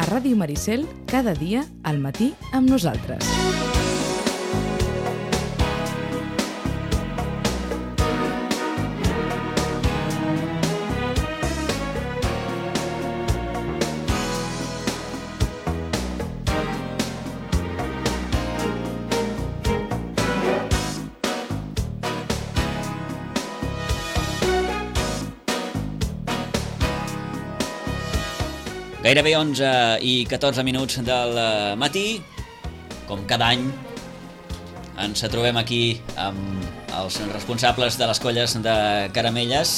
Ràdio Maricel, cada dia al matí amb nosaltres. Gairebé 11 i 14 minuts del matí, com cada any, ens trobem aquí amb els responsables de les colles de Caramelles,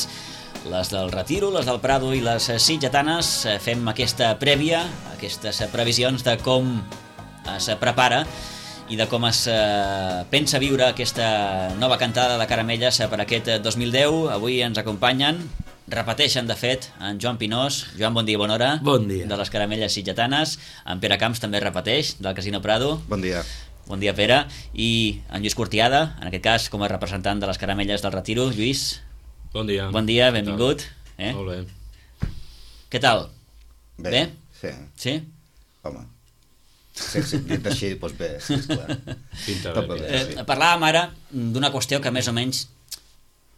les del Retiro, les del Prado i les sitgetanes. Fem aquesta prèvia, aquestes previsions de com es prepara i de com es pensa viure aquesta nova cantada de Caramelles per aquest 2010. Avui ens acompanyen, repeteixen de fet, en Joan Pinós. Joan, bon dia i bona hora. Bon dia. De les Caramelles sitgetanes. En Pere Camps també repeteix, del Casino Prado. Bon dia. Bon dia, Pere. I en Lluís Cortiada, en aquest cas com a representant de les Caramelles del Retiro. Lluís. Bon dia. Bon dia, benvingut. Molt bé. Què tal? Bé? Sí. Sí? Home, sí, dit així, doncs bé, sí, esclar. Pinta Tot bé. va bé, sí. Parlàvem ara d'una qüestió que més o menys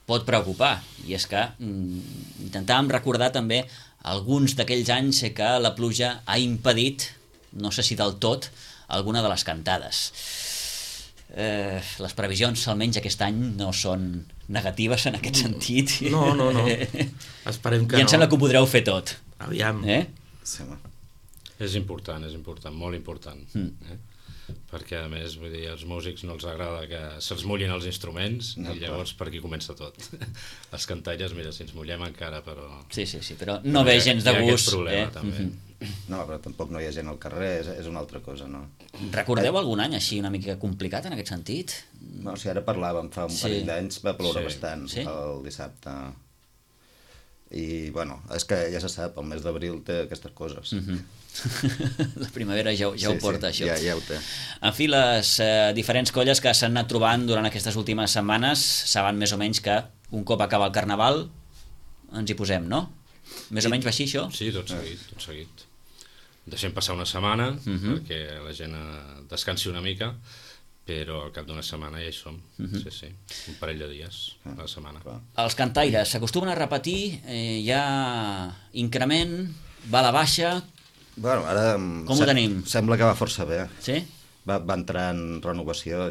pot preocupar, i és que intentàvem recordar també alguns d'aquells anys que la pluja ha impedit, no sé si del tot, alguna de les cantades. Les previsions, almenys aquest any, no són negatives en aquest sentit. No. Esperem que I em sembla que ho podreu fer tot. Aviam. Sí, home. És important, molt important. Perquè, a més, vull dir, als músics no els agrada que se'ls mullin els instruments, i llavors per aquí comença tot. Les cantalles, mira, si ens mullem encara, però... Sí, però no ve gens de gust. Hi ha gust. aquest problema, també. No, però tampoc no hi ha gent al carrer, és una altra cosa, no? Recordeu algun any així una mica complicat en aquest sentit? No, si ara parlàvem, fa un parell d'anys va ploure bastant el dissabte. I, bueno, és que ja se sap, el mes d'abril té aquestes coses. La primavera ja ho porta, això. Ja ho té. En fi, les diferents colles que s'han anat trobant durant aquestes últimes setmanes saben més o menys que un cop acaba el Carnaval ens hi posem, no? Més o menys va així, això? Sí, tot seguit. Deixem passar una setmana perquè la gent descansi una mica, però al cap d'una setmana ja hi som. Sí. Un parell de dies a la setmana. Els cantaires s'acostumen a repetir, hi ha increment, va a la baixa... Bueno, ara com ho tenim? Sembla que va força bé. Sí? Va entrar en renovació,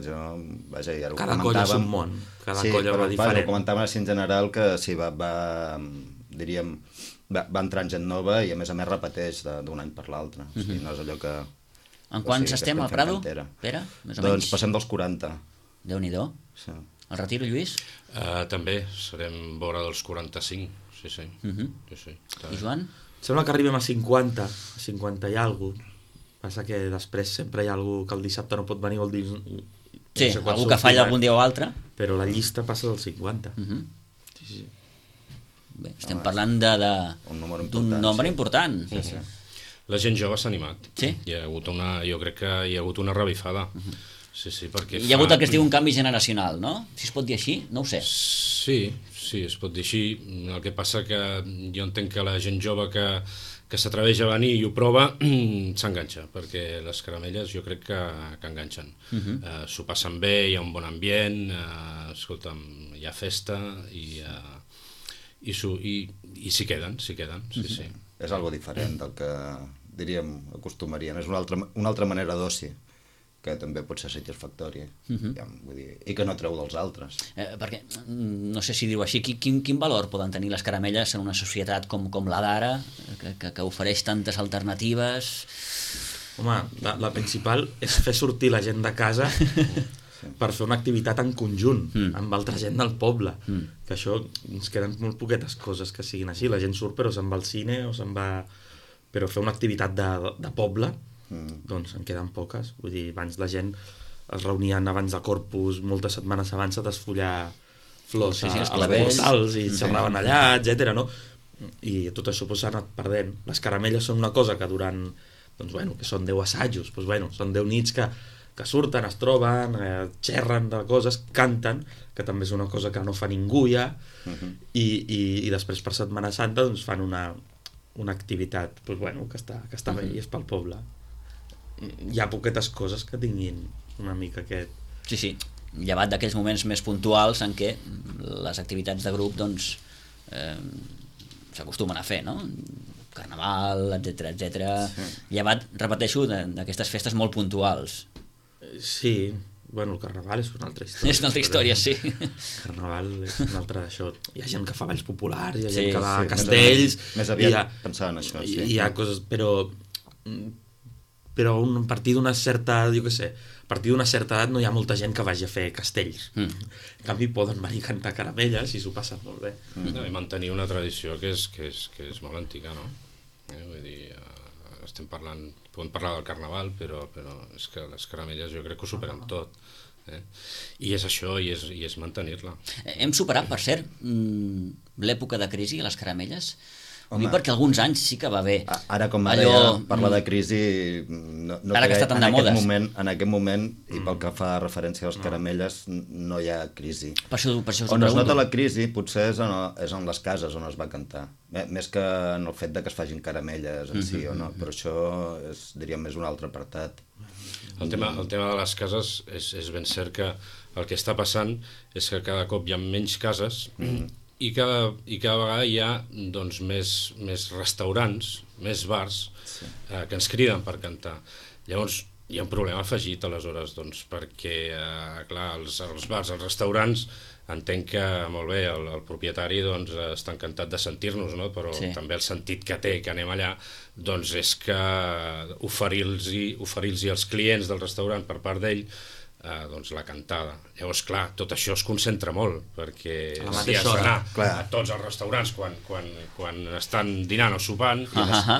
vaja, ja ho cada comentàvem. colla és un món, cada colla va diferent. Ho comentàvem així en general, que sí, va entrar en gent nova i a més repeteix d'un any per l'altre. O sigui, no és allò que... En quants estem al Prado, Pere? Doncs passem dels 40. Déu-n'hi-do. Sí. El Retiro, Lluís? També, serem vora dels 45, sí. I Joan? Sembla que arribem a 50 i alguna cosa. Passa que després sempre hi ha algú que el dissabte no pot venir, vol dir... Sí, algú que falla algun dia o altre. Però la llista passa dels 50. Sí. Bé, estem parlant d'un nombre important. Sí. La gent jove s'ha animat. Sí? Jo crec que hi ha hagut una revifada. Sí, perquè hi ha hagut el que es diu un canvi generacional, no? Si es pot dir així, no ho sé. Sí, es pot dir així. El que passa que jo entenc que la gent jove que s'atreveix a venir i ho prova s'enganxa, perquè les caramelles jo crec que enganxen. S'ho passen bé, hi ha un bon ambient, escolta'm, hi ha festa i s'hi queden, sí. És algo diferent del que, diríem, acostumarien. És una altra manera d'oci, que també pot ser satisfactòria, vull dir, i que no treu dels altres. Perquè, no sé si dir-ho així, quin valor poden tenir les caramelles en una societat com la d'ara, que ofereix tantes alternatives? Home, la principal és fer sortir la gent de casa per fer una activitat en conjunt, amb altra gent del poble, que això ens queden molt poquetes coses que siguin així. La gent surt però se'n va al cine o se'n va... Però fer una activitat de poble, doncs en queden poques. Vull dir, abans la gent es reunien abans de Corpus, moltes setmanes abans a desfollar flors als portals i xerraven allà, etc. no? I tot això s'ha anat perdent. Les caramelles són una cosa que durant, doncs bueno, que són 10 assajos, doncs bueno, són 10 nits que surten, es troben, xerren de coses, canten, que també és una cosa que no fa ningú ja, i després per Setmana Santa doncs fan una activitat pues, bueno, que està bé i és pel poble. Hi ha poquetes coses que tinguin una mica aquest... Sí, llevat d'aquells moments més puntuals en què les activitats de grup doncs s'acostumen a fer, no? Carnaval, etc. Llevat, repeteixo, d'aquestes festes molt puntuals. Sí, bueno, el carnaval és una altra història. És una altra història, sí. El carnaval és una altra d'això. Hi ha gent que fa balls populars, hi ha gent que va sí, a castells... Més aviat pensava en això, sí. Hi ha coses, però a partir d'una certa, jo què sé, a partir d'una certa edat no hi ha molta gent que vagi a fer castells. En canvi poden venir a cantar caramelles i s'ho passen molt bé. No, i mantenir una tradició que és molt antiga, no? Vull dir, podem parlar del carnaval, però és que les caramelles jo crec que ho superen tot. I és això, i és mantenir-la. Hem superat, per cert, l'època de crisi a les caramelles? Home, perquè alguns anys sí que va bé. Ara, com ara ja parla de crisi, ara que està tan de modes. En aquest moment, i pel que fa referència a les caramelles, no hi ha crisi. Per això us ho on pregunto. es nota la crisi potser és en les cases on es va cantar, més que en el fet de que es facin caramelles en si o no, però això és, diríem, més un altre apartat. El tema de les cases és ben cert que el que està passant és que cada cop hi ha menys cases i cada vegada hi ha doncs, més restaurants, més bars que ens criden per cantar. Llavors hi ha un problema afegit aleshores, doncs, perquè clar, els bars, els restaurants, entenc que molt bé el propietari doncs, està encantat de sentir-nos, no? Però també el sentit que té que anem allà doncs, és que oferir-los als clients del restaurant per part d'ell doncs la cantada. Llavors, clar, tot això es concentra molt, perquè si has d'anar a tots els restaurants quan estan dinant o sopant,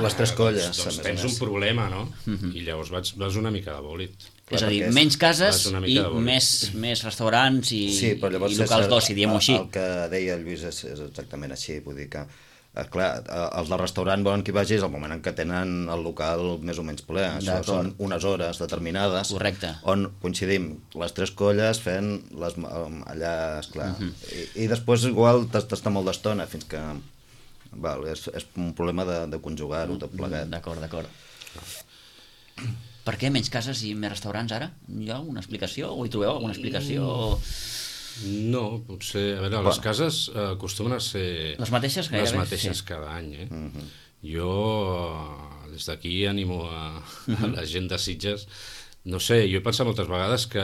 les tres colles, doncs tens un problema, no? I llavors vas una mica de bòlit. És a dir, menys cases i més restaurants i locals d'oci, diguem-ho així. El que deia el Lluís és exactament així, vull dir que clar, els del restaurant volen que hi vagis al moment en què tenen el local més o menys ple. Això són unes hores determinades. Correcte. On coincidim les tres colles fent allà, esclar. I després igual t'està molt d'estona fins que... és un problema de conjugar-ho tot plegat. D'acord. Per què menys cases i més restaurants ara? Hi ha alguna explicació? O hi trobeu alguna explicació? No, potser... A veure, les cases acostumen a ser... Les mateixes gairebé? Les mateixes cada any, Jo, des d'aquí, animo a la gent de Sitges. No sé, jo he pensat moltes vegades que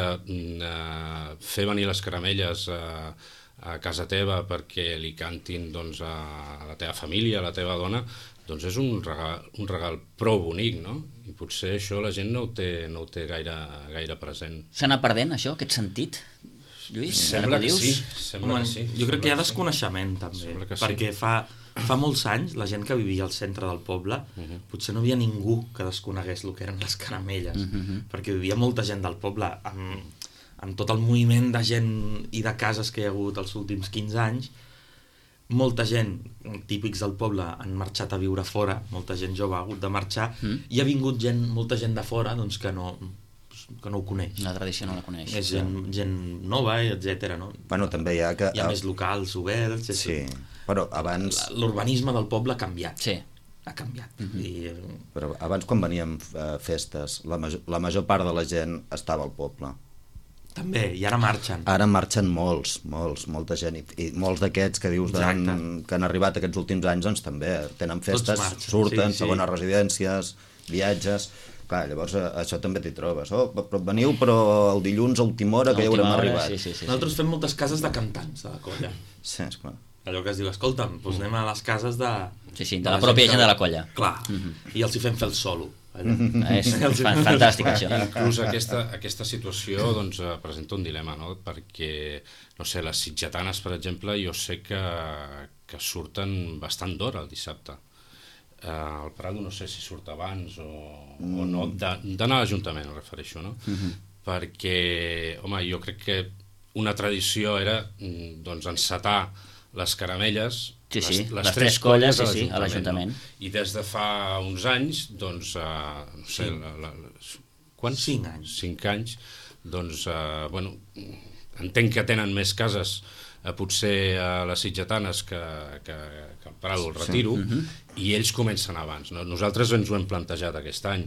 fer venir les caramelles a casa teva perquè li cantin doncs, a la teva família, a la teva dona, doncs és un regal prou bonic, no? I potser això la gent no ho té gaire present. S'ha anat perdent, això, aquest sentit? Lluís, sembla que sí. Jo crec que hi ha desconeixement també, perquè fa molts anys la gent que vivia al centre del poble potser no hi havia ningú que desconegués el que eren les caramelles, perquè vivia molta gent del poble amb tot el moviment de gent i de cases que hi ha hagut els últims 15 anys. Molta gent, típics del poble, han marxat a viure fora, molta gent jove ha hagut de marxar i ha vingut molta gent de fora doncs, que no ho coneix. La tradició no la coneix. És gent nova, etc. No? Bueno, també hi ha que... Hi ha més locals oberts... Sí, però abans... L'urbanisme del poble ha canviat. Sí. Ha canviat. Però abans, quan veníem festes, la major part de la gent estava al poble. També, i ara marxen. Ara marxen molta gent, i molts d'aquests que dius que han arribat aquests últims anys, doncs també tenen festes, surten, segones residències, viatges... Clar, llavors això també t'hi trobes. Veniu, però el dilluns a última hora que ja haurem arribat. Nosaltres fem moltes cases de cantants de la colla. Sí, esclar. Allò que es diu, escolta'm, doncs anem a les cases de... Sí, de la pròpia gent de la colla. Clar, i els hi fem fer el solo. És fantàstic, això. Inclús aquesta situació doncs, presenta un dilema, no? Perquè, no sé, les sitgetanes, per exemple, jo sé que surten bastant d'hora el dissabte. El Prado no sé si surt abans o no, d'anar a l'Ajuntament, em refereixo, no? Perquè, home, jo crec que una tradició era doncs, encetar les caramelles, les tres colles a l'Ajuntament. No? I des de fa uns anys, doncs, no sé, quants? 5 anys. 5 anys, doncs, bueno, entenc que tenen més cases potser a les Sitgetanes que al Prado, el Retiro, i ells comencen abans. Nosaltres ens ho hem plantejat aquest any,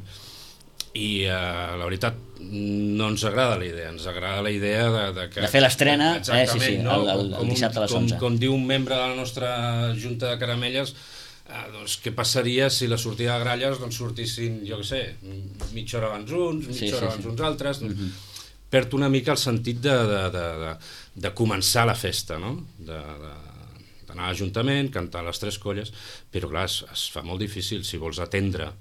i la veritat no ens agrada la idea, ens agrada la idea de fer l'estrena el dissabte a les 11. Com diu un membre de la nostra Junta de Caramelles, doncs què passaria si la sortida de gralles sortissin, jo què sé, mitja hora abans uns, mitja hora abans uns altres. Perd una mica el sentit de començar la festa, no? D'anar a l'Ajuntament, cantar les 3 colles, però clar, es fa molt difícil si vols atendre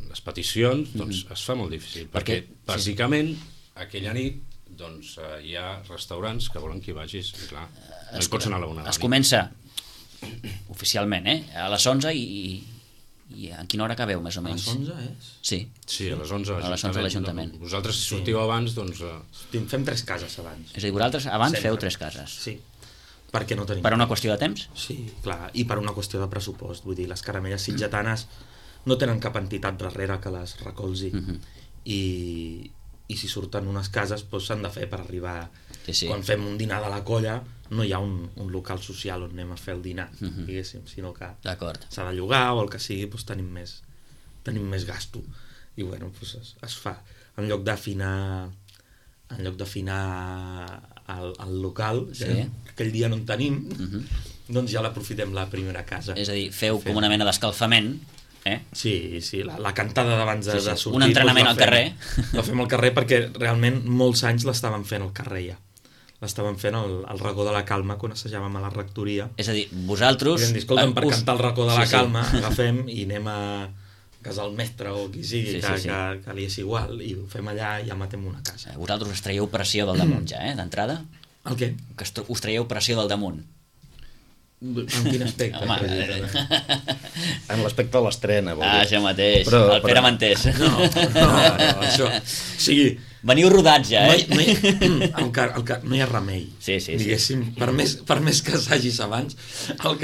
les peticions, doncs es fa molt difícil, perquè bàsicament aquella nit hi ha restaurants que volen que hi vagis, i clar, no hi pots anar a la 1 de la nit. Es comença oficialment, a les 11 i a quina hora acabeu, més o menys? A les 11 és? Sí, a les 11 a l'Ajuntament. Vosaltres, si sortiu abans, doncs... Fem 3 cases abans. És a dir, vosaltres abans feu 3 cases. Sí, perquè no tenim... Per una qüestió de temps? Sí, clar, i per una qüestió de pressupost. Vull dir, les caramelles sitgetanes no tenen cap entitat darrere que les recolzi. I si surten unes cases s'han de fer per arribar... Quan fem un dinar de la colla no hi ha un local social on anem a fer el dinar, diguéssim, sinó que s'ha de llogar o el que sigui, tenim més gasto. I bueno, es fa. En lloc d'afinar el local, aquell dia no en tenim, doncs ja l'aprofitem la primera casa. És a dir, feu com una mena d'escalfament. Sí, la cantada d'abans de sortir. Un entrenament al carrer. La fem al carrer perquè realment molts anys l'estàvem fent al carrer ja. L'estàvem fent al racó de la Calma quan assajàvem a la rectoria. És a dir, vosaltres... Escolta'm, per cantar el racó de la Calma agafem i anem a casa el mestre o qui sigui, que li és igual, i ho fem allà i ja matem una casa. Vosaltres us traieu pressió del damunt ja, d'entrada? El què? Que us traieu pressió del damunt. En quin aspecte? En l'aspecte de l'estrena. Això mateix, el Pere m'entès. No, això... O sigui... Veniu rodats ja, No hi ha remei. Diguéssim, per més que assagis abans, a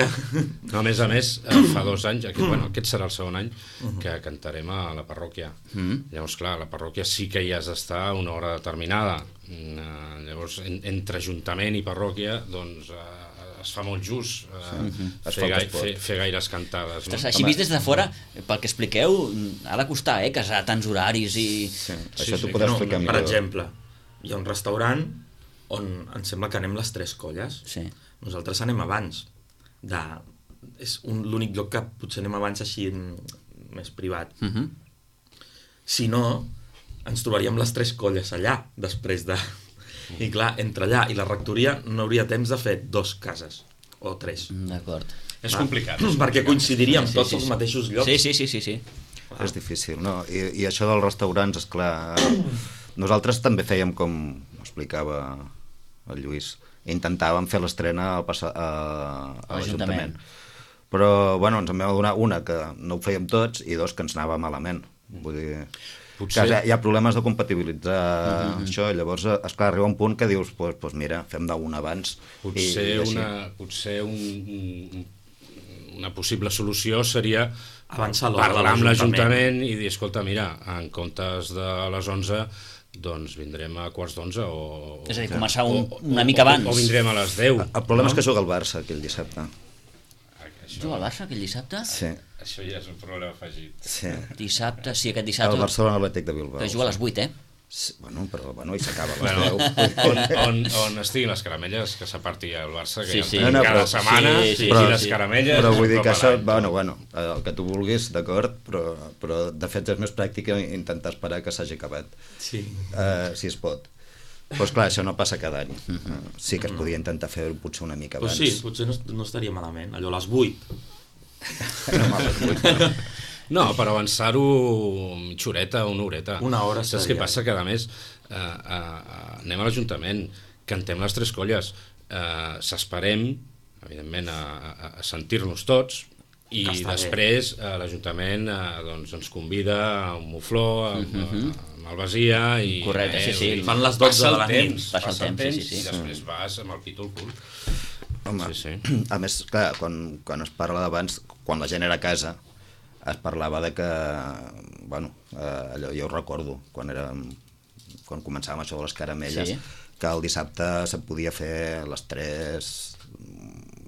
més, fa 2 anys, aquest serà el segon any, que cantarem a la parròquia. Llavors, clar, a la parròquia sí que hi has d'estar a una hora determinada. Llavors, entre ajuntament i parròquia, doncs... es fa molt just fer gaires cantades. Ostres, així vist des de fora, pel que expliqueu, ha de costar, casar tants horaris i... Això t'ho pots explicar millor. Per exemple, hi ha un restaurant on em sembla que anem les 3 colles. Nosaltres anem abans. És l'únic lloc que potser anem abans així més privat. Si no, ens trobaríem les 3 colles allà, després de... I clar, entre allà i la rectoria no hauria temps de fer 2 cases o 3. D'acord. És complicat. Perquè coincidiríem tots als mateixos llocs. Sí. És difícil, no? I això dels restaurants, esclar, nosaltres també fèiem, com explicava el Lluís, intentàvem fer l'estrena a l'Ajuntament. Però, bueno, ens en vam donar una que no ho fèiem tots i 2 que ens anava malament. Vull dir... Hi ha problemes de compatibilitzar això, i llavors, esclar, arriba un punt que dius, doncs mira, fem d'una abans. Potser una possible solució seria parlar amb l'Ajuntament i dir, escolta, mira, en comptes de les 11, doncs vindrem a 11:15 o... És a dir, començar una mica abans. O vindrem a les 10. El problema és que juga el Barça aquell dissabte. Juga el Barça aquell dissabte? Sí. Això ja és un problema afegit. Dissabte, aquest dissabte... El Barcelona Atlètic de Bilbao. Que juga a les 8, Sí, però i s'acaba a les 10. On estiguin les caramelles, que s'aparti el Barça, que cada setmana, i les caramelles... Però vull dir que això, bueno, el que tu vulguis, d'acord, però de fet és més pràctic intentar esperar que s'hagi acabat, si es pot. Doncs clar, això no passa cada any. Sí que es podia intentar fer potser una mica abans. Sí, potser no estaria malament, allò a les 8. No, per avançar-ho mitja horeta o una horeta. Una hora saps què passa? Que a més anem a l'Ajuntament, cantem les 3 colles, s'esperem evidentment a sentir-nos tots, i després l'Ajuntament ens convida a un mufló, amb el Basia, i fan les 12 de la nit, passa el temps, i després vas amb el pit al cul. Home, a més, clar, quan es parla d'abans, quan la gent era a casa, es parlava de que, bueno, allò jo ho recordo, quan quan començàvem això de les caramelles, que el dissabte se podia fer les 3,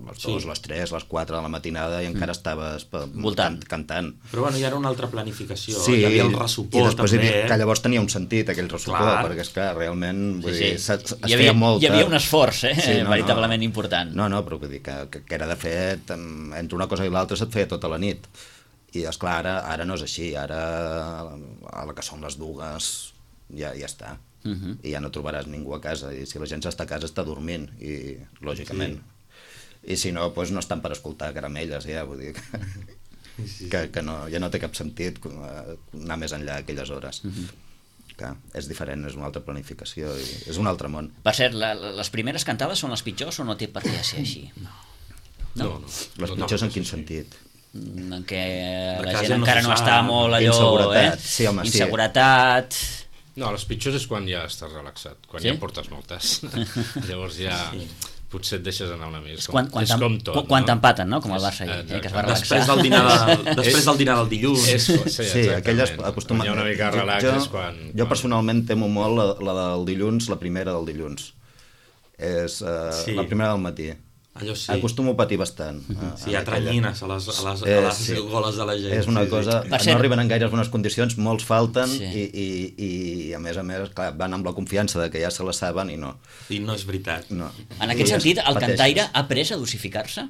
les 2, les 3, les 4 de la matinada i encara estaves cantant. Però bueno, hi era una altra planificació, sí, hi havia el ressupor també. Que llavors tenia un sentit aquell ressupor, perquè és que realment vull dir, es feia molt. Hi havia un esforç, veritablement important. No, però vull dir que era de fet, entre una cosa i l'altra se't feia tota la nit. I esclar, ara no és així, ara a la que són les 2 ja està. I ja no trobaràs ningú a casa, i si la gent està a casa està dormint, i lògicament. I si no, doncs no estan per escoltar caramelles, ja, vull dir que no, ja no té cap sentit anar més enllà aquelles hores. Que és diferent, és una altra planificació, i és un altre món. Per cert, les primeres cantades són les pitjors o no té per què ser així? No. Les pitjors en quin sentit? En què la gent encara no està molt allò... Inseguretat, sí, home, sí. Inseguretat... No, les pitjors és quan ja estàs relaxat, quan ja portes moltes. Llavors ja potser et deixes anar una mica. És com tot. Quan t'empaten, no? Com el Barça ahir, que es va relaxar. Després del dinar del dilluns. Sí, aquelles acostumen... Quan hi ha una mica de relax és quan... Jo personalment temo molt la del dilluns, la primera del dilluns. És la primera del matí. Allò sí. Acostumo a patir bastant. Sí, hi ha tranyines a les goles de la gent. És una cosa... No arriben en gaires bones condicions, molts falten i a més, clar, van amb la confiança de que ja se la saben i no. I no és veritat. No. En aquest sentit, el cantaire ha après a dosificar-se?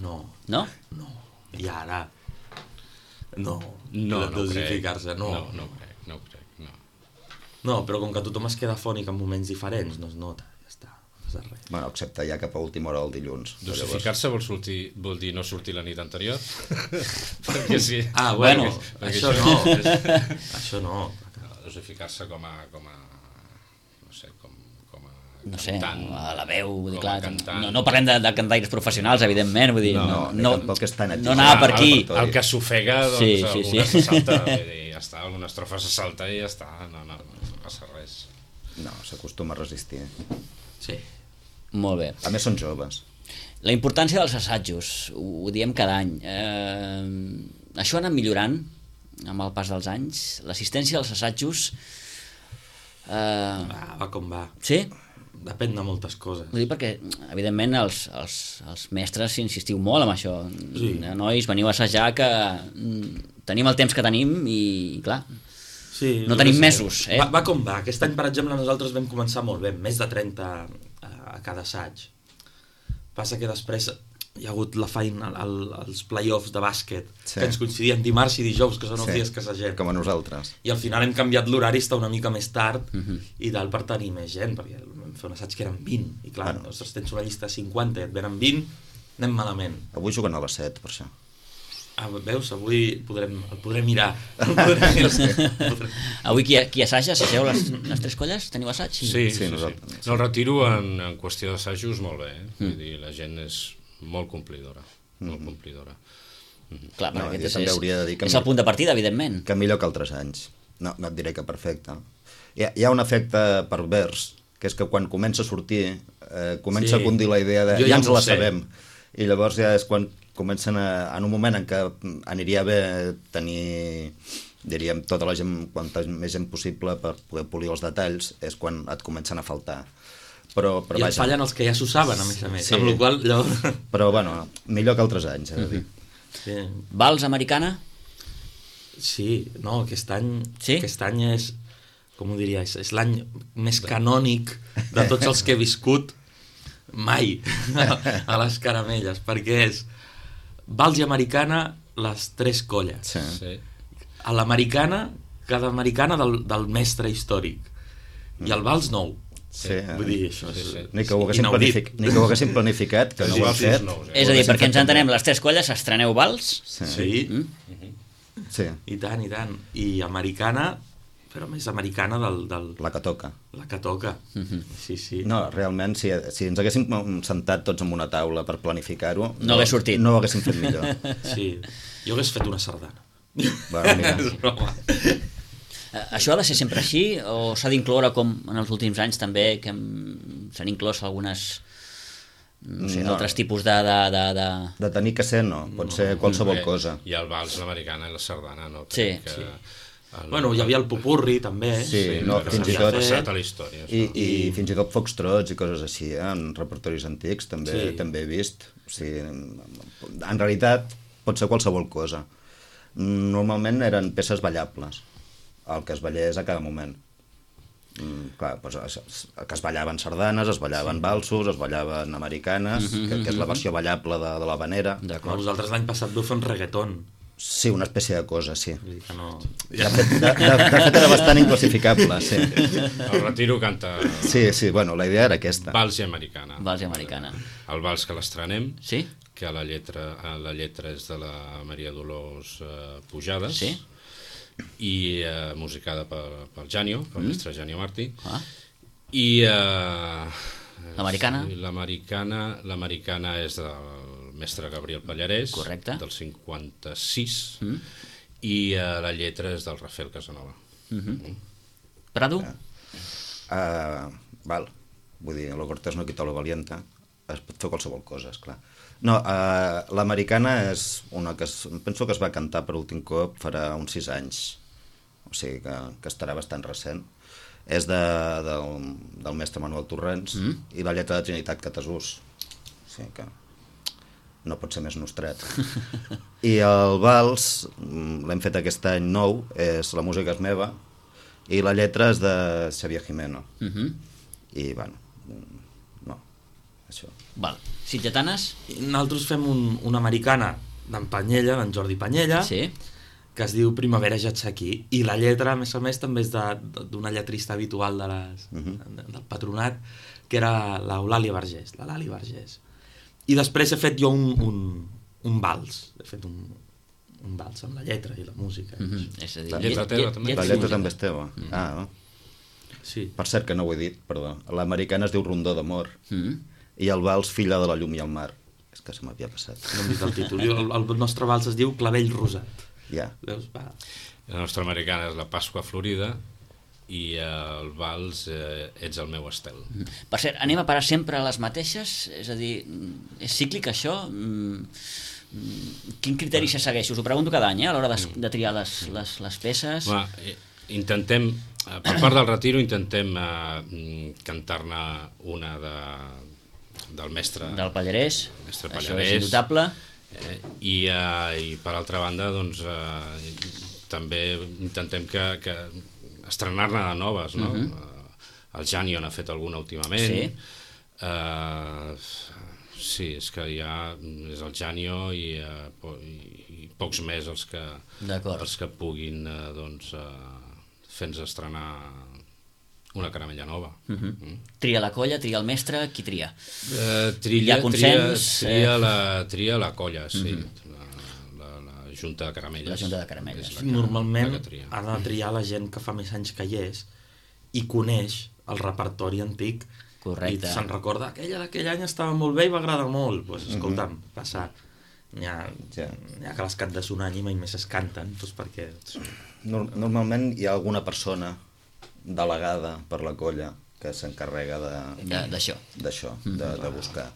No. No? No. I ara... No dosificar-se, no. No crec. No, però com que tothom es queda fònic en moments diferents, no es nota. Bueno, excepte ja cap a última hora del dilluns. Dosificar-se vol dir no sortir la nit anterior? Perquè sí. Bueno, això no. Això no. Dosificar-se com a no sé, a la veu, vull dir, clar, no parlem de cantaires professionals, evidentment, vull dir, no anava per aquí. El que s'ofega, doncs, alguna se salta, ja està, alguna estrofa se salta i ja està, no passa res. No, s'acostuma a resistir. Sí. Molt bé. A més són joves. La importància dels assajos, ho diem cada any. Això ha anat millorant amb el pas dels anys. L'assistència als assajos... Va com va. Sí? Depèn de moltes coses. Vull dir perquè, evidentment, els mestres insistiu molt amb això. Sí. Nois, veniu a assajar que tenim el temps que tenim i, clar... Sí, no tenim mesos. Va com va. Aquest any, per exemple, nosaltres vam començar molt bé, més de 30 a cada assaig. Passa que després hi ha hagut la feina, els play-offs de bàsquet, que ens coincidien dimarts i dijous, que són els dies que assagem. Com a nosaltres. I al final hem canviat l'horari, està una mica més tard, i dalt per tenir més gent, perquè vam fer un assaig que eren 20, i clar, nosaltres tens una llista de 50 i et venen 20, anem malament. Avui juguen a les 7, per això. Veus, avui el podrem mirar. Avui qui assaja, assageu les 3 colles? Teniu assaig? Sí. No, el retiro en qüestió d'assajos molt bé, Vull dir, la gent és molt complidora. Clar, perquè aquest és el punt de partida, evidentment. Que millor que altres anys. No et diré que perfecte. Hi ha un efecte pervers, que és que quan comença a sortir, comença a condir la idea de ja ens la sabem. I llavors ja és quan comencen en un moment en què aniria bé tenir, diríem, tota la gent, quanta més gent possible per poder polir els detalls, és quan et comencen a faltar. Però I et fallen els que ja s'ho saben, a més. Amb la qual cosa... Però, bueno, millor que altres anys, de dir. Sí. Vals americana? Sí, no, aquest any és, com ho diria, és l'any més canònic de tots els que he viscut mai a les caramelles, perquè és Vals i americana, les 3 colles. Sí. A l'americana, cada americana del mestre històric. I el vals nou. Sí. Vull dir, això és ni que ho haguéssim planificat, que no ho hem fet. És a dir, perquè ens entenem, les 3 colles estreneu vals? Sí. I tant. I americana, però més americana la que toca. La que toca. Sí. No, realment, si ens haguéssim sentat tots en una taula per planificar-ho, no hagués sortit. No ho haguéssim fet millor. Sí, jo hagués fet una sardana. Bueno, mira. Això ha de ser sempre així o s'ha d'incloure, com en els últims anys també, que s'han inclòs algunes altres tipus de... De tenir que ser, no. Pot ser qualsevol cosa. I el vals, l'americana i la sardana, no? Sí. Bueno, hi havia el popurri, també. Sí, fins i tot... passat a la història. I fins i tot foxtrots i coses així, en repertoris antics, també he vist. O sigui, en realitat, pot ser qualsevol cosa. Normalment eren peces ballables, el que es ballés a cada moment. Clar, doncs, que es ballaven sardanes, es ballaven valsos, es ballaven americanes, que és la versió ballable de l'habanera. Vosaltres l'any passat vau fer un reggaeton. Sí, una espècie de cosa, sí. No... De fet, era bastant inclassificable, sí. El Retiro canta... Sí, bueno, la idea era aquesta. Vals i americana. Vals i americana. El vals que l'estrenem, sí? Que la lletra és de la Maria Dolors Pujades, sí? I musicada pel Janio, pel mestre Janio Martí. I... l'americana? L'americana és del mestre Gabriel Pallarès, correcte, del 56, i la lletra és del Rafael Casanova. Prado? Val, vull dir, lo cortés no quita lo valiente, es pot fer qualsevol cosa, esclar. No, l'americana és una que penso que es va cantar per últim cop farà uns 6 anys, o sigui que estarà bastant recent. És del mestre Manuel Torrents i la lletra de Trinitat Catasús. O sigui que no pot ser més nostret. I el vals l'hem fet aquest any nou, la música és meva, i la lletra és de Xavier Jimeno. I, bueno, no, això. Val. Sitgetanes? Nosaltres fem una americana d'en Panyella, d'en Jordi Panyella, sí, que es diu Primavera ja ets aquí, i la lletra, a més, també és d'una lletrista habitual del Patronat, que era l'Eulàlia Vergés, la Lali Vergés. I després he fet jo un vals, he fet un vals amb la lletra i la música. És a dir, la lletra teva també? La lletra també és teva. Sí. Per cert, que no ho he dit, perdó. L'americana es diu Rondó d'amor, i el vals Filla de la llum i el mar. És que se m'havia passat. No hem dit el títol. El nostre vals es diu Clavell Rosat. Ja. Veus? Va. La nostra americana és la Pasqua Florida, i el vals Ets el meu estel. Per cert, anem a parar sempre a les mateixes? És a dir, és cíclic això? Quin criteri se segueix? Us ho pregunto cada any, a l'hora de triar les peces. Intentem, per part del Retiro, intentem cantar-ne una del mestre del Pallarès, això és indubtable. I per altra banda, doncs, també intentem que estrenar-ne de noves, no? El Janio n'ha fet alguna últimament. Sí, és que ja és el Janio i pocs més els que puguin fer-nos estrenar una caramella nova. Tria la colla, tria el mestre, qui tria? Tria la colla, sí. Junta de Caramelles. La Junta de Caramelles. Normalment ha de triar la gent que fa més anys que hi és i coneix el repertori antic. Correcte. I se'n recorda, aquella d'aquell any estava molt bé i va agradar molt. Doncs escolta'm, passa. N'hi ha que les cantes un any i mai més es canten, doncs perquè... Normalment hi ha alguna persona delegada per la colla que s'encarrega d'això, de buscar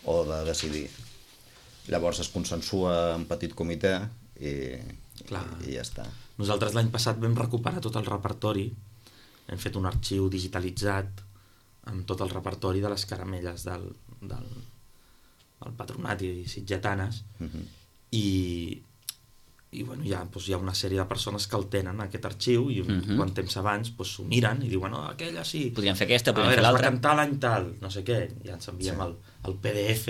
o de decidir. Llavors es consensua en petit comitè i ja està. Nosaltres l'any passat vam recuperar tot el repertori, hem fet un arxiu digitalitzat amb tot el repertori de les caramelles del Patronat i Sitgetanes, i bueno, hi ha una sèrie de persones que el tenen, aquest arxiu, i quant temps abans s'ho miren i diuen, aquella sí, podríem fer aquesta, podríem fer l'altra, es va cantar l'any tal, no sé què, ja ens enviem el PDF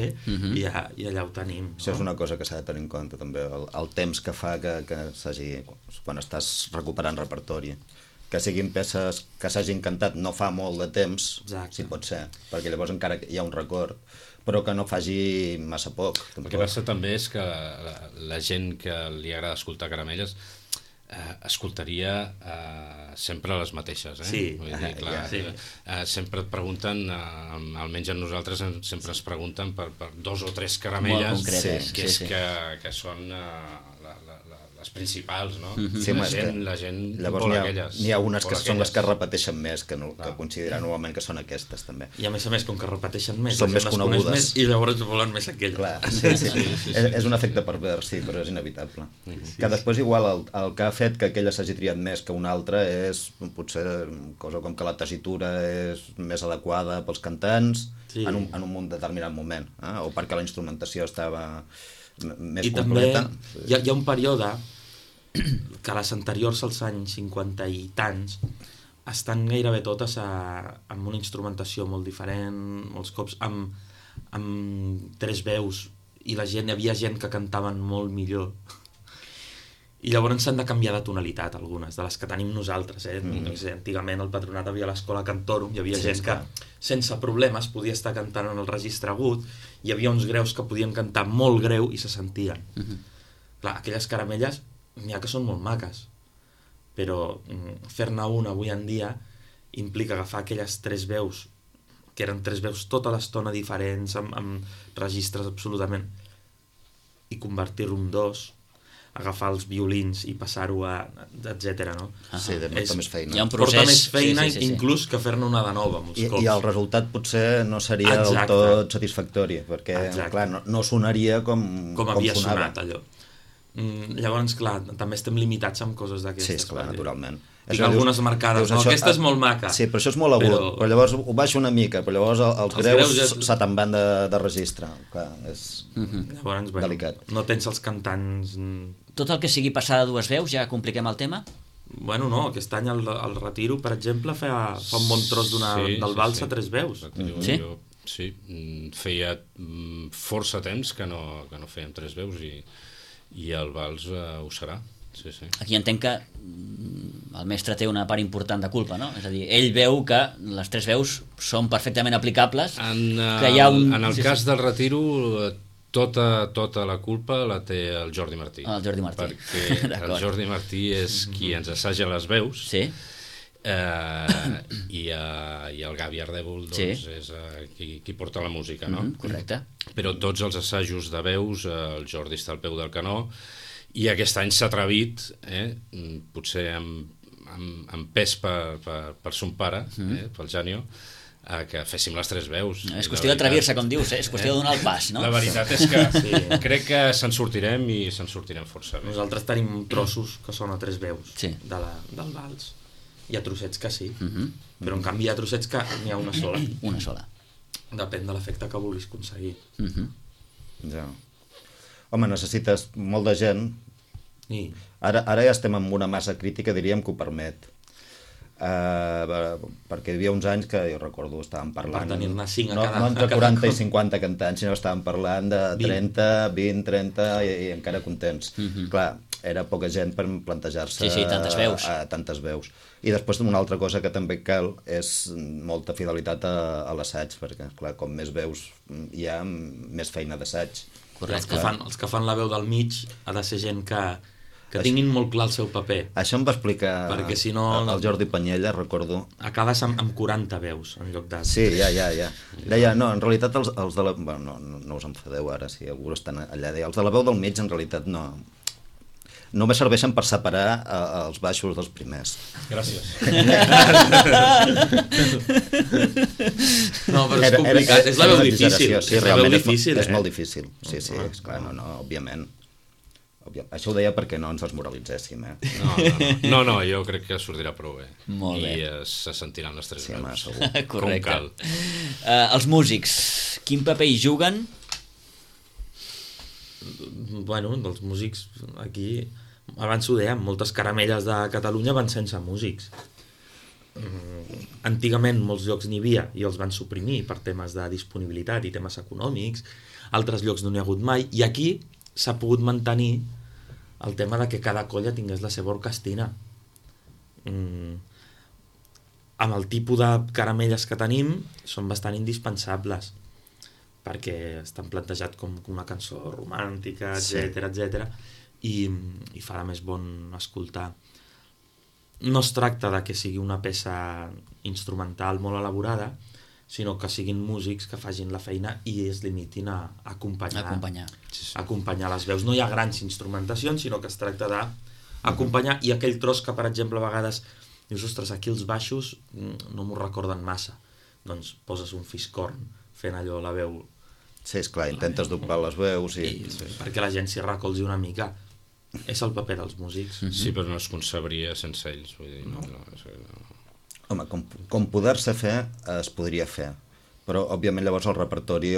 i allà ho tenim. Això és una cosa que s'ha de tenir en compte també, el temps que fa que s'hagi, quan estàs recuperant repertori, que siguin peces que s'hagin cantat no fa molt de temps, si pot ser, perquè llavors encara hi ha un record, però que no faci massa poc. El que passa també és que la gent que li agrada escoltar caramelles escoltaria sempre les mateixes. Sí. Vull dir, clar, sempre et pregunten, almenys a nosaltres sempre es pregunten per 2 o 3 caramelles concretes, que són les principals, no? Sí, la gent llavors vol aquelles. n'hi ha unes que són les que repeteixen més, que consideren normalment que són aquestes, també. I a més, com que repeteixen més, són més conegudes. I llavors volen més aquelles. Clar, sí. És un efecte pervers, sí, però és inevitable. Que després igual el que ha fet que aquella s'hagi triat més que una altra és potser cosa com que la tessitura és més adequada pels cantants en un determinat moment, o perquè la instrumentació estava més completa. I també hi ha un període que les anteriors als anys 50 i tants estan gairebé totes amb una instrumentació molt diferent, molts cops amb 3 veus, i hi havia gent que cantaven molt millor. I llavors s'han de canviar de tonalitat, algunes, de les que tenim nosaltres. No sé, antigament al Patronat havia l'escola Cantorum, hi havia gent que sense problemes podia estar cantant en el registre agut, hi havia uns greus que podien cantar molt greu i se sentien. Clar, aquelles caramelles n'hi ha que són molt maques, però fer-ne una avui en dia implica agafar aquelles 3 veus, que eren 3 veus tota l'estona diferents, amb registres absolutament, i convertir-ho en 2, agafar els violins i passar-ho a... etcètera, no? Sí, porta més feina. Hi ha un procés... Porta més feina, inclús que fer-ne una de nova, molts cops. I el resultat potser no seria del tot satisfactori, perquè, clar, no sonaria com havia sonava. sonat, allò. Llavors, clar, també estem limitats amb coses d'aquestes. Sí, esclar, naturalment. Tinc algunes marcades, no? Aquesta és molt maca. Sí, però això és molt agut, però llavors ho baixo una mica, però llavors els greus se te'n van de registre. Clar, és delicat. No tens els cantants... Tot el que sigui passar de 2 veus, ja compliquem el tema? Bueno, no, aquest any el Retiro, per exemple, fa un bon tros del vals a 3 veus. Sí, feia força temps que no fèiem 3 veus i el vals ho serà. Sí. Aquí entenc que el mestre té una part important de culpa, no? És a dir, ell veu que les 3 veus són perfectament aplicables. En el cas del Retiro, tota la culpa la té el Jordi Martí. El Jordi Martí. Perquè el Jordi Martí és qui ens assaja les veus. Sí. I el Gavi Ardèvol és qui porta la música, no? Correcte. Però tots els assajos de veus, el Jordi està al peu del canó, i aquest any s'ha atrevit, potser amb pes per son pare, pel Janio, que féssim les 3 veus. És qüestió d'atrevir-se, com dius, és qüestió de donar el pas, no? La veritat és que crec que se'n sortirem i se'n sortirem força bé. Nosaltres tenim trossos que són a 3 veus del vals. Hi ha trossets que sí, però en canvi hi ha trossets que n'hi ha una sola. Una sola. Depèn de l'efecte que vulguis aconseguir. Ja. Home, necessites molt de gent. Ara ja estem en una massa crítica, diríem, que ho permet. Perquè hi havia uns anys que jo recordo estàvem parlant... Per tenir-ne 5 a cada... No entre 40 i 50 cantants, sinó estàvem parlant de 30, 20, 30 i encara contents. Clar, era poca gent per plantejar-se tantes veus. I després una altra cosa que també cal és molta fidelitat a l'assaig, perquè clar, com més veus hi ha, més feina d'assaig. Els que fan la veu del mig ha de ser gent que tinguin molt clar el seu paper. Això em va explicar perquè si no, el Jordi Panyella, recordo. Acabes amb 40 veus en lloc de... Sí, ja. Deia, no, en realitat els de la... Bueno, no us enfadeu ara, si algú estan allà. Deia, els de la veu del mig en realitat no... Només serveixen per separar els baixos dels primers. Gràcies. No, però és complicat. És la veu difícil. Sí, realment és molt difícil. Sí, esclar, no, òbviament. Això ho deia perquè no ens desmoralitzéssim, No, jo crec que sortirà prou bé. Molt bé. I se sentiran les 3 veus. Correcte. Com cal. Els músics, quin paper hi juguen? Bueno, els músics aquí... Abans ho dèiem, moltes caramelles de Catalunya van sense músics. Antigament molts llocs n'hi havia i els van suprimir per temes de disponibilitat i temes econòmics, altres llocs no n'hi ha hagut mai, i aquí s'ha pogut mantenir el tema de que cada colla tingués la seva orquestina. Amb el tipus de caramelles que tenim són bastant indispensables, perquè estan plantejats com una cançó romàntica, etc. I fa de més bon escoltar. No es tracta de que sigui una peça instrumental molt elaborada, sinó que siguin músics que facin la feina i es limitin a acompanyar les veus. No hi ha grans instrumentacions, sinó que es tracta d'acompanyar, i aquell tros que, per exemple, a vegades dius, ostres, aquí els baixos no m'ho recorden massa, doncs poses un fiscorn fent allò la veu. Sí, esclar, intentes doblar les veus perquè la gent s'hi recolzi una mica. És el paper dels músics. Sí, però no es concebria sense ells, vull dir, no. Home, com poder-se fer, es podria fer, però òbviament llavors el repertori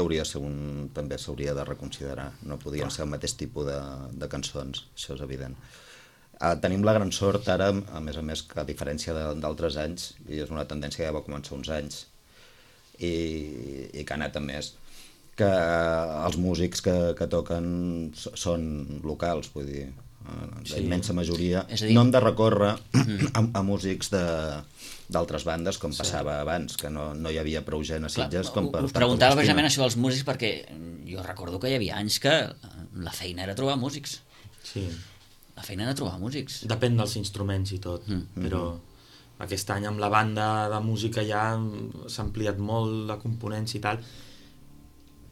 també s'hauria de reconsiderar, no podien ser el mateix tipus de cançons, això és evident. Tenim la gran sort ara, a més, que a diferència d'altres anys, i és una tendència que ja va començar uns anys i que ha anat a més, que els músics que toquen són locals, vull dir, la immensa majoria. No hem de recórrer a músics d'altres bandes, com passava abans, que no hi havia prou gent a Sitges. Us preguntava precisament això dels músics, perquè jo recordo que hi havia anys que la feina era trobar músics. Sí. La feina era trobar músics. Depèn dels instruments i tot, però aquest any amb la banda de música ja s'ha ampliat molt la componència i tal.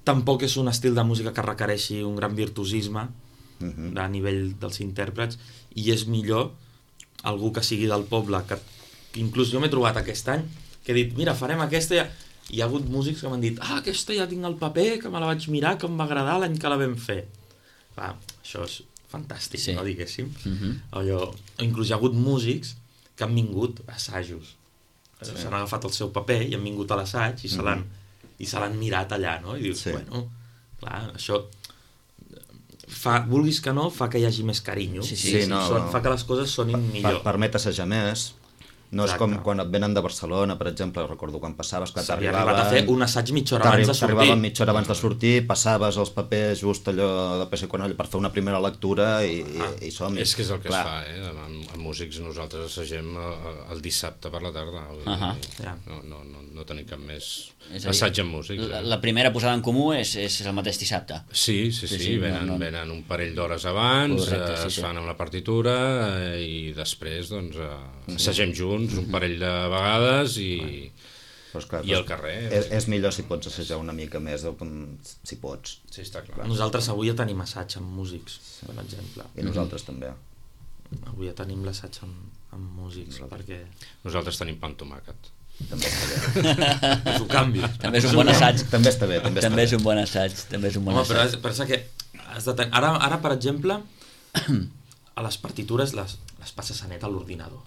Tampoc és un estil de música que requereixi un gran virtuosisme a nivell dels intèrprets, i és millor algú que sigui del poble, que inclús jo m'he trobat aquest any que he dit, mira, farem aquesta, i hi ha hagut músics que m'han dit, aquesta ja tinc el paper, que me la vaig mirar, que em va agradar l'any que la vam fer. Això és fantàstic, no, diguéssim. O inclús hi ha hagut músics que han vingut a assajos, s'han agafat el seu paper i han vingut a l'assaig i se l'han mirat allà, no? I dius, bueno, clar, això vulguis que no, fa que hi hagi més carinyo, fa que les coses sonin millor. Permet assajar més. No és com quan et venen de Barcelona, per exemple, recordo quan passaves que t'arribaven... S'havia arribat a fer un assaig mitja hora abans de sortir. T'arribaven mitja hora abans de sortir, passaves els papers just allò de peça i conoll per fer una primera lectura i som-hi. És que és el que es fa, amb músics nosaltres assagem el dissabte per la tarda. No tenim cap més assaig amb músics. La primera posada en comú és el mateix dissabte. Sí, venen un parell d'hores abans, es fan amb la partitura i després assagem junts un parell de vegades i al carrer. És millor si pots assajar una mica més, si pots. Sí, està clar. Nosaltres avui ja tenim assaig amb músics, per exemple. I nosaltres també. Avui ja tenim l'assaig amb músics, perquè... Nosaltres tenim pa amb tomàquet. També està bé. És un canvi. També és un bon assaig. També està bé. També és un bon assaig. Home, però pensa que ara, per exemple, a les partitures les passes a net a l'ordinador.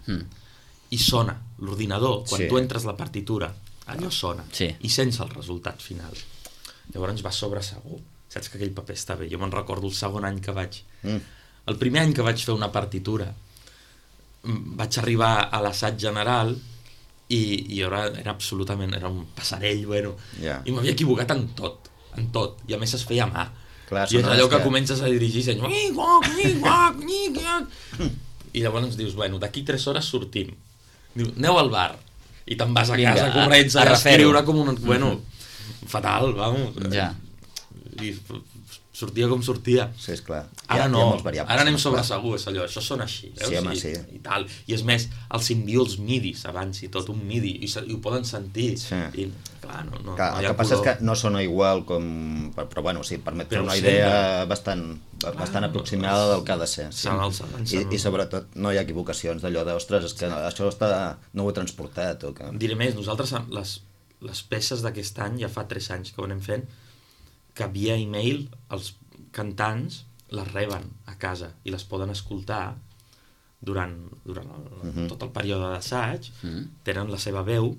I sona l'ordinador, quan tu entres la partitura, allò sona, i sents el resultat final. Llavors vas sobre segur, saps que aquell paper està bé. Jo me'n recordo el segon any que vaig... El primer any que vaig fer una partitura, vaig arribar a l'assaig general i era absolutament... Era un passarell, i m'havia equivocat en tot, i a més es feia a mà. I és allò que comences a dirigir i llavors ens dius, d'aquí 3 hores sortim. Diu, aneu al bar. I te'n vas a casa corrents a escriure com un... fatal, vamos. I sortia com sortia. Sí, esclar. Ara no, ara anem sobre segur, és allò, això sona així. I tal. I és més, els envio els midis abans i tot, un midi, i ho poden sentir. I clar, no hi ha color. El que passa és que no sona igual com... Però bueno, sí, permet fer una idea bastant aproximada del que ha de ser. I sobretot no hi ha equivocacions d'allò d'ostres, és que això no ho he transportat. Diré més, nosaltres les peces d'aquest any, ja fa 3 anys que ho anem fent, que via e-mail els cantants les reben a casa i les poden escoltar durant tot el període d'assaig, tenen la seva veu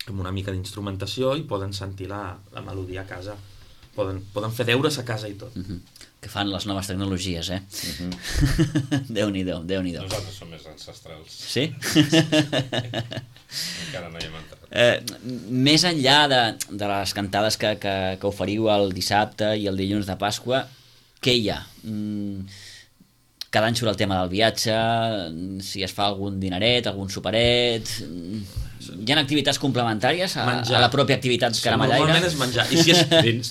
amb una mica d'instrumentació i poden sentir la melodia a casa. Poden fer deures a casa i tot. Que fan les noves tecnologies, Déu-n'hi-do. Nosaltres som més ancestrals. Sí? Encara no hi hem entrat. Més enllà de les cantades que oferiu el dissabte i el dilluns de Pasqua, què hi ha? Cada any surt el tema del viatge, si es fa algun dineret, algun superet... Hi ha activitats complementàries a la pròpia activitat caramellaire? Normalment és menjar.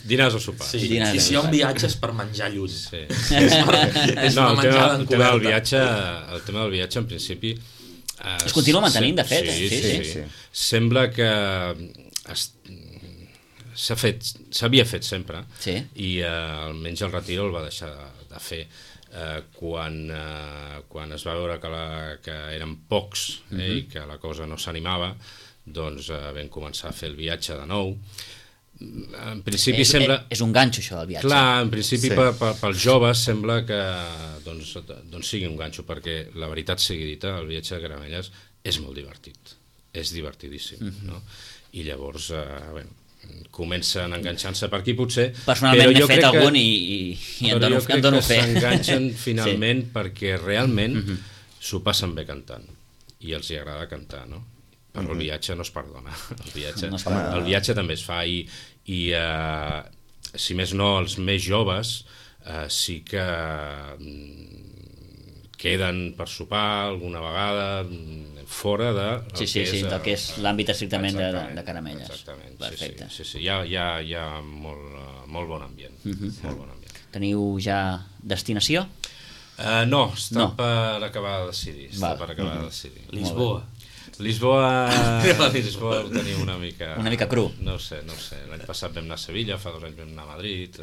Dinars o sopars. I si hi ha un viatge és per menjar lluny. És una menjada encoberta. El tema del viatge, en principi... Es continua mantenint, de fet. Sí. Sembla que s'havia fet sempre, sí. I almenys el Retiro el va deixar de fer quan es va veure que eren pocs i que la cosa no s'animava, doncs vam començar a fer el viatge de nou. En principi és un ganxo, això, el viatge. Clar, en principi pels joves sembla que doncs sigui un ganxo, perquè la veritat sigui dita, el viatge de Caramelles és molt divertit, és divertidíssim, no? I llavors, comencen enganxant-se per aquí, potser. Personalment n'he fet algun i em dono fe. Però jo crec que s'enganxen finalment perquè realment s'ho passen bé cantant i els hi agrada cantar, no? Però el viatge no es perdona. El viatge també es fa i si més no, els més joves sí que queden per sopar alguna vegada fora del que és l'àmbit estrictament de Caramelles. Exactament. Perfecte. Sí. Hi ha molt bon ambient. Molt bon ambient. Teniu ja destinació? No, està per acabar de decidir. Lisboa ho teniu una mica cru. No sé. L'any passat vam anar a Sevilla, fa 2 anys vam anar a Madrid.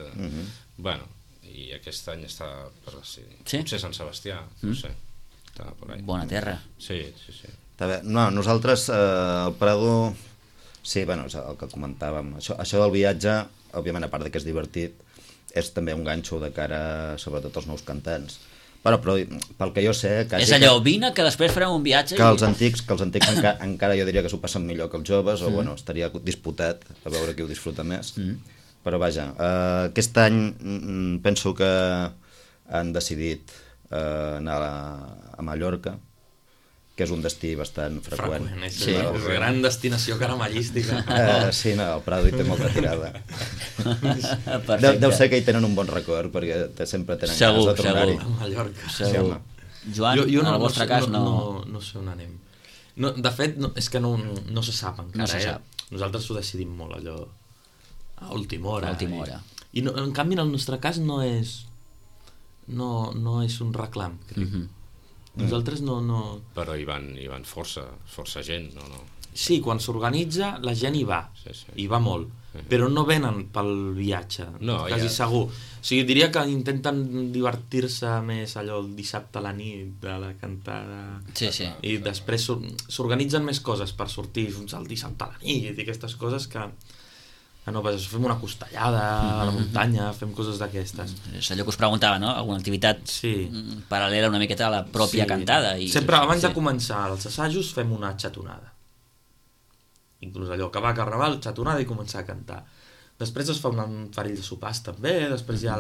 Bueno, i aquest any està per decidir. Potser Sant Sebastià, no sé. Està por ahí. Bona terra. Sí. Està bé. No, nosaltres al Prado, sí, bueno, és el que comentàvem. Això del viatge, òbviament, a part que és divertit, és també un ganxo de cara, sobretot, als nous cantants. Però pel que jo sé... És allò, vine, que després farem un viatge... Que els antics encara jo diria que s'ho passen millor que els joves, o bueno, estaria disputat a veure qui ho disfruta més. Però vaja, aquest any penso que han decidit anar a Mallorca, que és un destí bastant freqüent. És una gran destinació caramellística. Sí, no, el Prado hi té molta tirada. Deu ser que hi tenen un bon record, perquè sempre tenen ganes de tornar-hi. A Mallorca. Segur. Joan, en el vostre cas no... No sé on anem. De fet, és que no se sap encara. No se sap. Nosaltres ho decidim molt, allò, a última hora. I en canvi, en el nostre cas, no és un reclam, crec. Nosaltres no... Però hi van força gent, no? Sí, quan s'organitza la gent hi va, hi va molt, però no venen pel viatge, quasi segur. O sigui, diria que intenten divertir-se més allò el dissabte a la nit, de la cantada... Sí. I després s'organitzen més coses per sortir el dissabte a la nit i aquestes coses que... fem una costellada a la muntanya, fem coses d'aquestes. És allò que us preguntava, no? Alguna activitat paral·lela una miqueta a la pròpia cantada. Sempre abans de començar els assajos fem una xatonada. Inclús allò, acabar Carnaval, xatonada i començar a cantar. Després es fa un parell de sopars també, després hi ha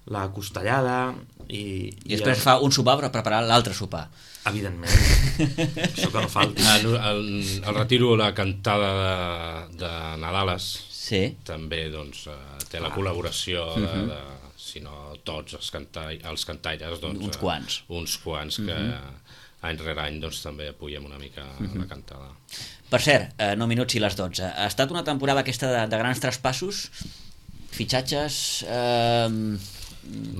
la costellada i després fa un sopar per preparar l'altre sopar. Evidentment. Això que no falti. El Retiro, la cantada de Nadales, també té la col·laboració de, si no tots els cantaires, uns quants que any rere any també apoyem una mica la cantada. Per cert, 9 minuts i les 12. Ha estat una temporada aquesta de grans traspassos, fitxatges,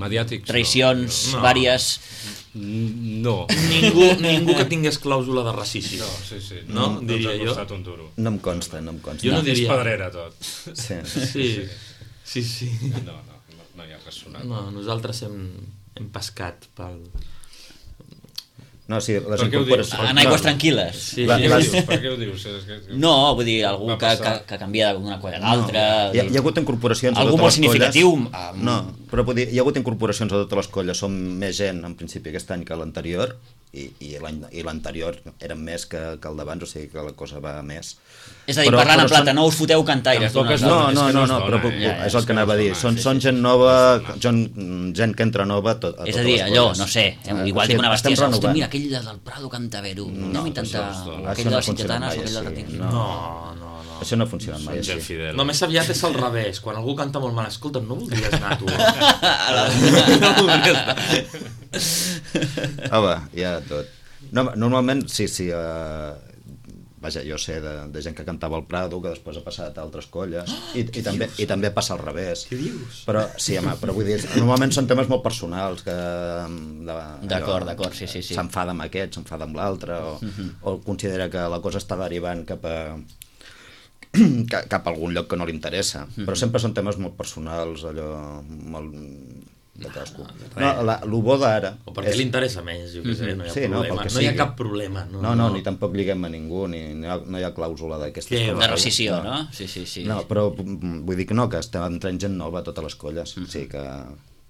mediàtics, traïcions vàries... No. Ningú que tingués clàusula de racisme. No, diria jo. No em consta. Jo no diria... És pedrera tot. Sí. No hi ha res sonat. No, nosaltres hem pescat pel... No, sí, les incorporacions... En aigües tranquil·les. Per què ho dius? No, vull dir, algú que canvia d'una colla a l'altra... Hi ha hagut incorporacions a totes les colles... Algú molt significatiu... No, però vull dir, hi ha hagut incorporacions a totes les colles. Som més gent, en principi, aquest any que l'anterior, i l'anterior eren més que el d'abans, o sigui que la cosa va més. És a dir, parlant en plata, no us foteu cantaires. No, però és el que anava a dir. Són gent nova, gent que entra nova... És a dir, allò, no sé, igual dic una bestiesa, hosti, mira, aquell del Prado canta Vero, anem a intentar aquell de les Sitgetanes o aquell del Retiro. No. Això no ha funcionat mai així. No, més aviat és al revés. Quan algú canta molt mal, escolta, no voldries anar tu. No voldries anar. Home, ja tot. Normalment, sí, vaja, jo sé de gent que cantava al Prado, que després ha passat a altres colles, i també passa al revés. Què dius? Però vull dir, normalment són temes molt personals, que d'acord, sí. S'enfada amb aquest, s'enfada amb l'altre, o considera que la cosa està derivant cap a cap a algun lloc que no li interessa. Però sempre són temes molt personals, allò molt de cadascú. Lo bo d'ara... O perquè li interessa més, jo què sé, no hi ha problema. No hi ha cap problema. No, ni tampoc liguem a ningú, no hi ha clàusula d'aquestes coses. De rescisió, no? Sí. No, però vull dir que no, que estem entrant gent nova a totes les colles. O sigui que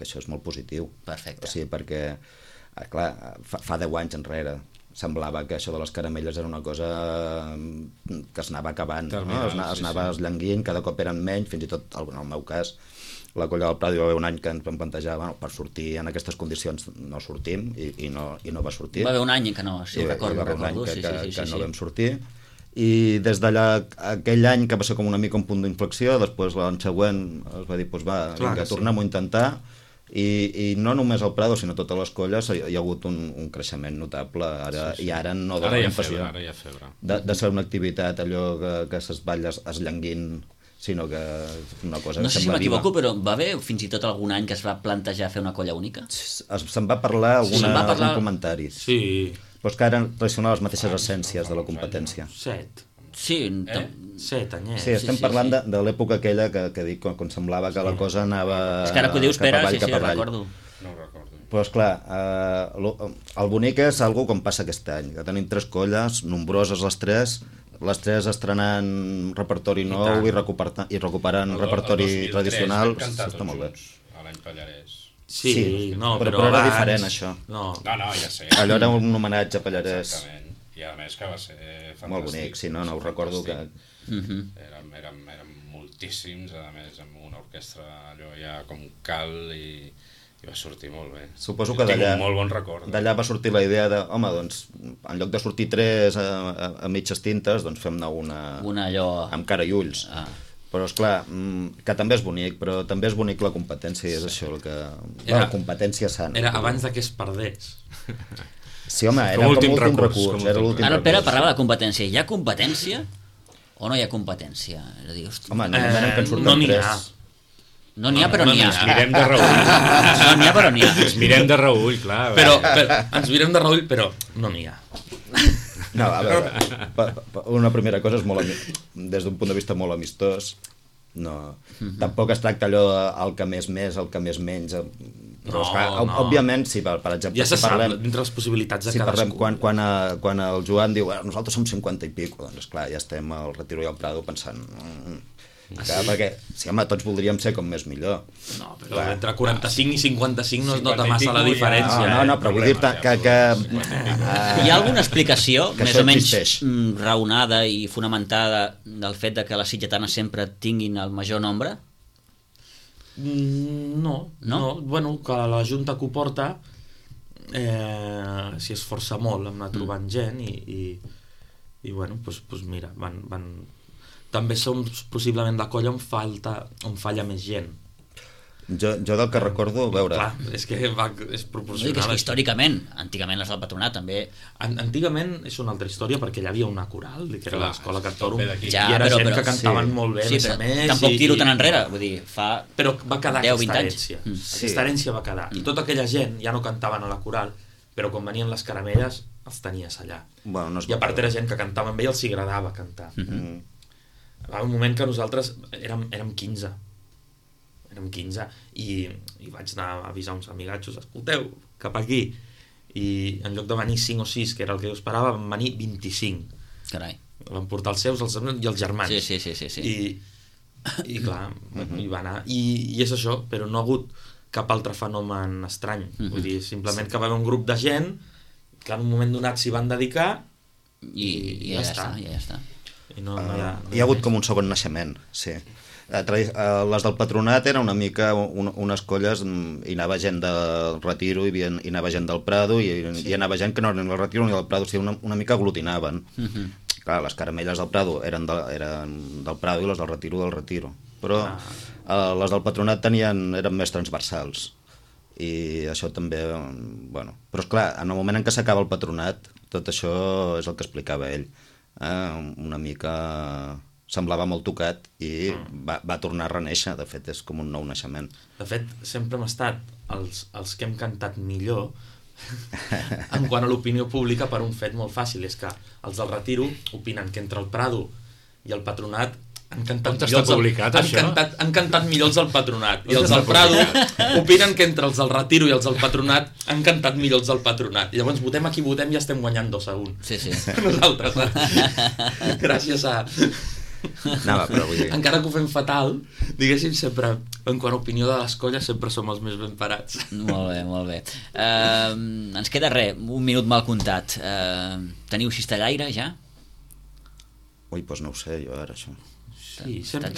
això és molt positiu. Perfecte. O sigui, perquè, clar, fa 10 anys enrere semblava que això de les caramelles era una cosa que es anava acabant, no? Es anava esllenguint, cada cop eren menys, fins i tot, en el meu cas, la colla del Prado hi va haver un any que ens vam plantejar, per sortir en aquestes condicions no sortim, i no va sortir. Va haver un any que no, si ho recordo. Va haver un any que no vam sortir, i des d'allà, aquell any que va ser com una mica un punt d'inflexió, després l'any següent es va dir, vinga, tornem-ho a intentar, i no només al Prado, sinó a totes les colles hi ha hagut un creixement notable, i ara no dona la impressió de ser una activitat allò que ses balles esllenguint, sinó que és una cosa que sembla viva. No sé si m'equivoco, però va haver fins i tot algun any que es va plantejar fer una colla única? Se'n va parlar algun comentari. Sí. Però és que ara traicionar les mateixes essències de la competència. 7. Sí, 7 anyets. Sí, estem parlant de l'època aquella que dic, quan semblava que la cosa anava és que ara que ho dius, Pere, sí, recordo. No ho recordo. Però esclar, el bonic és algo com passa aquest any, que tenim 3 colles, nombroses les 3 estrenant repertori nou i recuperant repertori tradicional. Està molt bé. A l'any Pallarès. Sí, però era diferent, això. No, ja sé. Allò era un homenatge a Pallarès. Exactament. I a més que va ser fantàstic. Molt bonic, sí, no ho recordo que... Érem moltíssims, a més, amb una orquestra allò ja com cal i va sortir molt bé. Suposo que d'allà... Tinc un molt bon record. D'allà va sortir la idea de, home, doncs, en lloc de sortir 3 a mitges tintes, doncs fem-ne una allò... amb cara i ulls. Però, esclar, que també és bonic, però també és bonic la competència, i és això el que... La competència sana. Era abans que es perdés. Sí, home, era com l'últim recurs. Ara el Pere parlava de competència. Hi ha competència o no hi ha competència? És a dir, hosti... Home, no n'hi ha. No n'hi ha, però n'hi ha. Ens mirem de reüll. No n'hi ha, però n'hi ha. Ens mirem de reüll, clar. Però ens mirem de reüll, però no n'hi ha. No, a veure, una primera cosa és des d'un punt de vista molt amistós. No, tampoc es tracta allò el que més, el que més menys... Però, òbviament, si per exemple... Ja se sap, dintre les possibilitats de cadascú. Quan el Joan diu nosaltres som 50 i pico, doncs esclar, ja estem al Retiro i al Prado pensant... Perquè, sí, home, tots voldríem ser com més millor. No, però entre 45 i 55 no es nota massa la diferència. No, però vull dir que... Hi ha alguna explicació, més o menys raonada i fonamentada, del fet de que les sitgetanes sempre tinguin el major nombre? No. Bueno, que la Junta que ho porta s'hi esforça molt, hem anat trobant gent i bueno, doncs mira, van... També som possiblement la colla on falla més gent. Jo del que recordo, a veure... Clar, és que és proporcional. És que històricament, antigament les del Patronat també... Antigament és una altra història, perquè hi havia una coral, que era l'escola Cantorum, i era gent que cantaven molt bé, a més. Tampoc tiro tan enrere, vull dir, fa 10 o 20 anys. Però va quedar aquesta herència. Aquesta herència va quedar. I tota aquella gent ja no cantaven a la coral, però quan venien les caramelles els tenies allà. I a part era gent que cantava amb ell, els agradava cantar. Va haver un moment que nosaltres érem 15 i vaig anar a avisar uns amigatxos, escolteu, cap aquí, i en lloc de venir 5 o 6, que era el que jo esperava, van venir 25. Carai. Van portar els seus, els i els germans. Sí. I clar, hi va anar. I és això, però no ha hagut cap altre fenomen estrany. Vull dir, simplement que va haver un grup de gent que en un moment donat s'hi van dedicar i ja està. Hi ha hagut com un segon naixement, sí. Les del Patronat eren una mica unes colles, hi anava gent del Retiro, hi anava gent del Prado, i hi anava gent que no eren del Retiro ni del Prado, o sigui, una mica aglutinaven. Clar, les caramelles del Prado eren del Prado i les del Retiro. Però les del Patronat eren més transversals. I això també, bueno... Però esclar, en el moment en què s'acaba el Patronat, tot això és el que explicava ell. Una mica semblava molt tocat i va tornar a renéixer. De fet, és com un nou naixement. De fet, sempre hem estat els que hem cantat millor en quant a l'opinió pública per un fet molt fàcil, és que els del Retiro opinen que entre el Prado i el Patronat han cantat On està publicat, això? Han cantat millor els del Patronat. I els del Prado opinen que entre els del Retiro i els del Patronat han cantat millor els del Patronat. I llavors votem a qui votem i estem guanyant 2-1. Sí. Nosaltres, gràcies a... Però vull dir... Encara que ho fem fatal, diguéssim, sempre, en quant a opinió de les colles, sempre som els més ben parats. Molt bé. Ens queda un minut mal comptat. Teniu cistellaire, ja? Ui, doncs no ho sé, jo ara, això. Sí, sempre.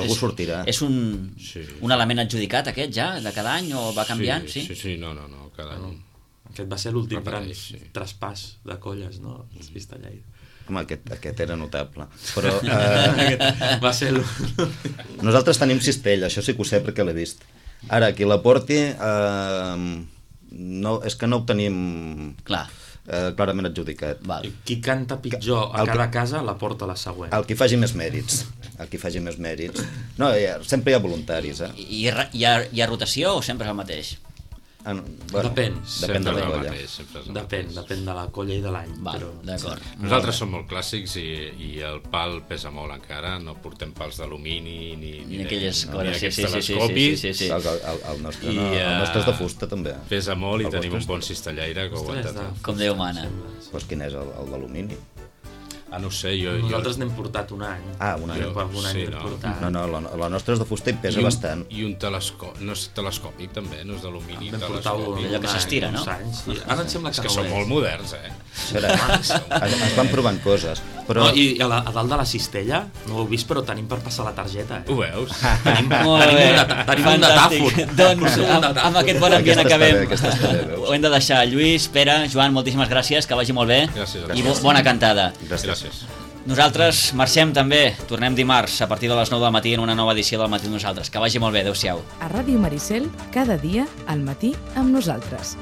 Algú sortirà. És un element adjudicat, aquest, ja, de cada any, o va canviant? Sí, no, cada any. Aquest va ser l'últim gran traspàs de colles, no? El cistellaire. Home, aquest era notable. Però va ser nosaltres tenim cistella, això sí que ho sé perquè l'he vist. Ara, qui la porti, és que no ho tenim clarament adjudicat. Qui canta pitjor a cada casa la porta la següent. El qui faci més mèrits. No, sempre hi ha voluntaris. I hi ha rotació o sempre és el mateix? Depèn de la colla. Depèn de la colla i de l'any. D'acord. Nosaltres som molt clàssics i el pal pesa molt encara, no portem pals d'alumini ni aquelles coses. Telescopis. El nostre és de fusta també. Pesa molt i tenim un bon cistellaire que ho aguanta tot. Com Déu mana. Doncs quin és el d'alumini? No sé, nosaltres n'hem portat un any. Un any. No, la nostra és de fusta i pesa bastant. I un telescopi, no és telescòpic també, no és d'alumini. Allò que s'estira, no? Ara em sembla que és que són molt moderns, Es van provant coses. I a dalt de la cistella, no ho heu vist, però tenim per passar la targeta. Ho veus? Tenim un datàfon. Doncs amb aquest bon ambient acabem. Ho hem de deixar. Lluís, Pere, Joan, moltíssimes gràcies, que vagi molt bé. I bona cantada. Gràcies. Nosaltres marxem també, tornem dimarts a partir de les 9 del matí en una nova edició del Matí amb Nosaltres. Que vagi molt bé, adeu-siau. A Ràdio Maricel, cada dia al matí amb nosaltres.